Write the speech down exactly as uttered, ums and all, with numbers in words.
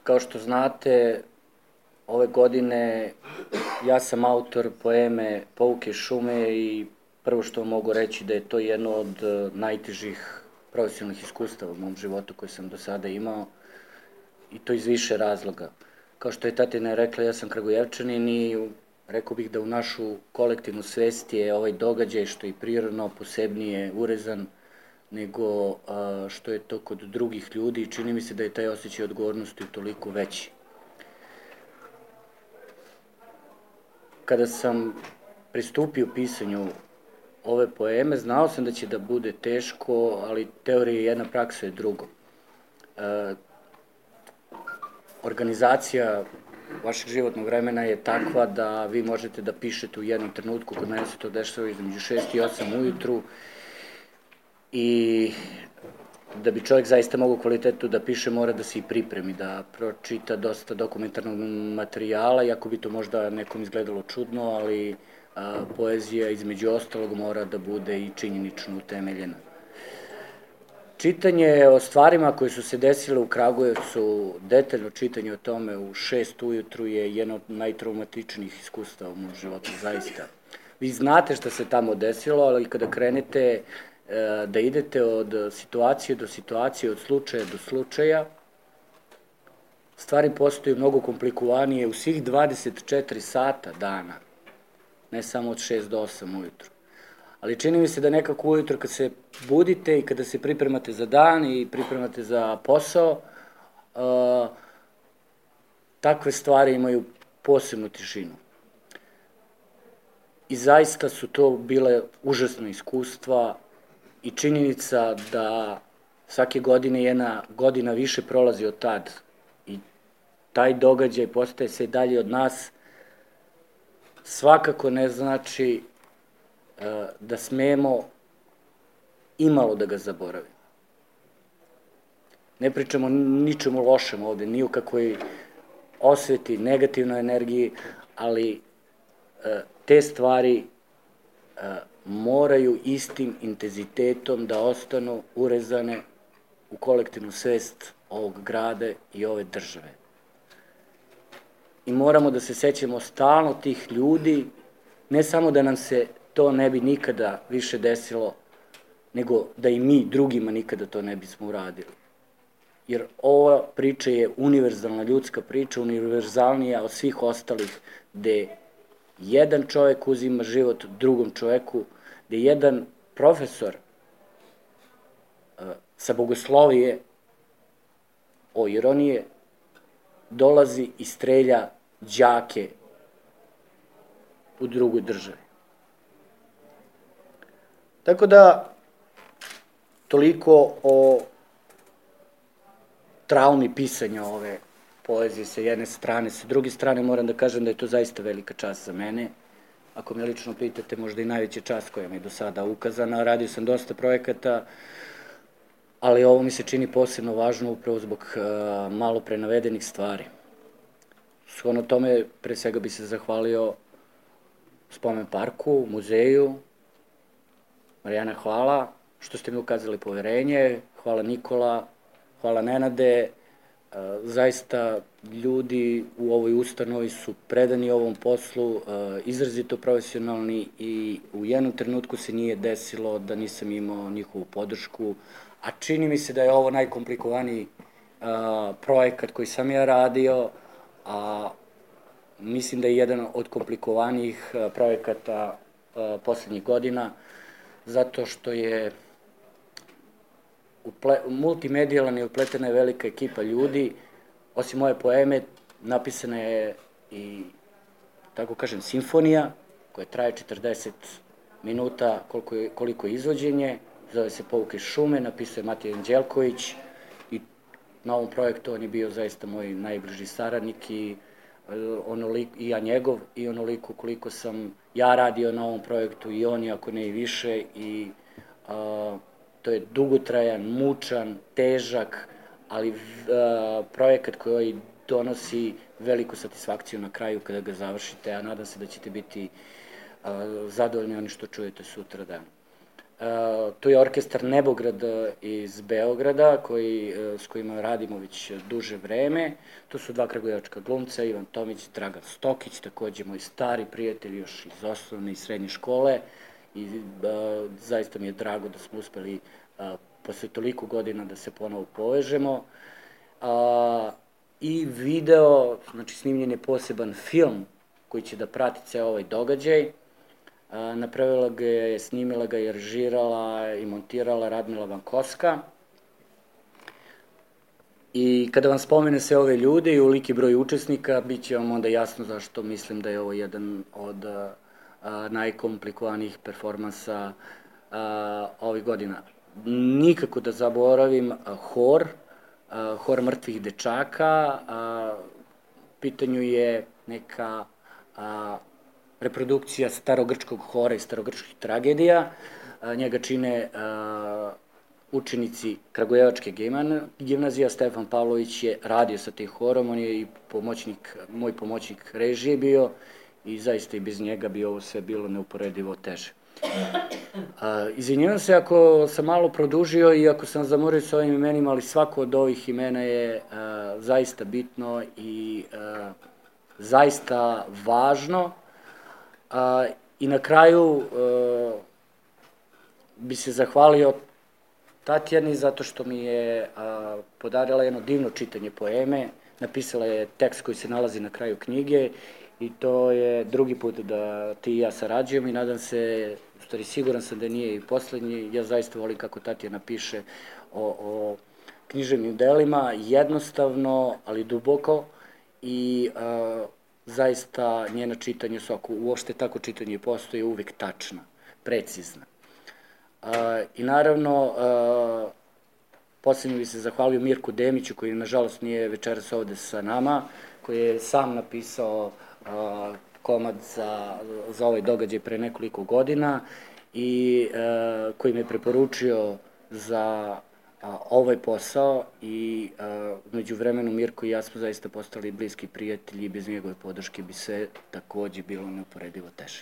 Kao što znate, ove godine ja sam autor poeme Pouke šume i prvo što mogu reći da je to jedno od najtežih profesionalnih iskustava u mom životu koje sam do sada imao i to iz više razloga. Kao što je tatina rekla, ja sam Kragujevčanin i rekao bih da u našu kolektivnu svest je ovaj događaj što je prirodno posebnije urezan nego što je to kod drugih ljudi i čini mi se da je taj osjećaj odgovornosti toliko veći. Kada sam pristupio pisanju ove poeme, znao sam da će da bude teško, ali teorija je jedna, praksa je drugo. Organizacija vašeg životnog vremena je takva da vi možete da pišete u jednom trenutku, kod mene se to dešava između šest i osam ujutru, i da bi čovjek zaista mogao kvalitetu da piše, mora da se i pripremi, da pročita dosta dokumentarnog materijala, iako bi to možda nekom izgledalo čudno, ali poezija između ostalog mora da bude i činjenično utemeljena. Čitanje o stvarima koje su se desile u Kragujevcu, detaljno čitanje o tome u šest ujutru je jedno od najtraumatičnijih iskustava u mom životu, zaista. Vi znate šta se tamo desilo, ali kada krenete da idete od situacije do situacije, od slučaja do slučaja, stvari postaju mnogo komplikovanije u svih dvadeset četiri sata dana, ne samo od šest do osam ujutru. Ali čini mi se da nekako ujutro kad se budite i kada se pripremate za dan i pripremate za posao, takve stvari imaju posebnu tišinu. I zaista su to bile užasna iskustva i činjenica da svake godine jedna godina više prolazi od tad i taj događaj postaje sve dalje od nas, svakako ne znači da smemo imalo da ga zaboravimo. Ne pričamo ničemu lošem ovde, ni u kakvoj osveti, negativnoj energiji, ali te stvari moraju istim intenzitetom da ostanu urezane u kolektivnu svest ovog grada i ove države. I moramo da se sećamo stalno tih ljudi, ne samo da nam se to ne bi nikada više desilo, nego da i mi drugima nikada to ne bismo uradili. Jer ova priča je univerzalna ljudska priča, univerzalnija od svih ostalih, gde jedan čovek uzima život drugom čoveku, gde jedan profesor sa bogoslovije, o ironije, dolazi i strelja đake u drugoj državi. Tako da, toliko o traumi pisanja ove poezije sa jedne strane. Sa druge strane moram da kažem da je to zaista velika čast za mene. Ako me lično pitate, možda i najveća čast koja mi je do sada ukazana. Radio sam dosta projekata, ali ovo mi se čini posebno važno upravo zbog malo pre navedenih stvari. Shodno tome, pre svega bi se zahvalio Spomen parku, muzeju. Marijana, hvala što ste mi ukazali poverenje, hvala Nikola, hvala Nenade. Zaista ljudi u ovoj ustanovi su predani ovom poslu, izrazito profesionalni i u jednom trenutku se nije desilo da nisam imao njihovu podršku, a čini mi se da je ovo najkomplikovaniji projekat koji sam ja radio, a mislim da je jedan od komplikovanijih projekata poslednjih godina, zato što je multimedijalan i upletena je velika ekipa ljudi. Osim moje poeme, napisana je i, tako kažem, simfonija, koja traje četrdeset minuta koliko je izvođenje, zove se Pouke šume, napisao je Matija Anđelković i na ovom projektu on je bio zaista moj najbliži saradnik i ja njegov i onoliko koliko sam ja radio na ovom projektu i on, ako ne i više, i to je dugotrajan, mučan, težak, ali projekat koji donosi veliku satisfakciju na kraju kada ga završite, a nadam se da ćete biti zadovoljni oni što čujete sutra dan. Tu je orkestar Nebograd iz Beograda, koji, s kojima radimo već duže vreme. Tu su dva kragujevačka glumca, Ivan Tomić i Dragan Stokić, takođe moji stari prijatelji još iz osnovne i srednje škole. I zaista mi je drago da smo uspeli posle toliko godina da se ponovo povežemo. I video, znači snimljen je poseban film koji će da prati ceo ovaj događaj. Napravila ga je, snimila ga je, režirala i montirala Radmila Vankovska. I kada vam spomene sve ove ljude i uliki broj učesnika, bit će vam onda jasno zašto mislim da je ovo jedan od najkomplikovanijih performansa ovih godina. Nikako da zaboravim hor, hor mrtvih dečaka. Pitanju je neka reprodukcija starogrčkog hora i starogrčkih tragedija. Njega čine učenici Kragujevačke gimnazije. Stefan Pavlović je radio sa tim horom, on je i pomoćnik, moj pomoćnik režije bio i zaista i bez njega bi ovo sve bilo neuporedivo teže. Izvinjavam se ako sam malo produžio i ako sam zamorio sa ovim imenima, ali svako od ovih imena je zaista bitno i zaista važno. I na kraju bi se zahvalio Tatjani zato što mi je podarila jedno divno čitanje poeme, napisala je tekst koji se nalazi na kraju knjige i to je drugi put da ti i ja sarađujem i nadam se, u stvari siguran sam da nije i poslednji, ja zaista volim kako Tatjana piše o književnim delima, jednostavno, ali duboko i zaista njena čitanja su, ako uopšte tako čitanje postoje, uvek tačna, precizna. I naravno, poslednje bih se zahvalio Mirku Demiću, koji nažalost nije večeras ovde sa nama, koji je sam napisao komad za ovaj događaj pre nekoliko godina i koji me preporučio za ovaj posao i među vremenu Mirko i ja smo zaista postali bliski prijatelji i bez njegove podrške bi sve takođe bilo neuporedivo teže.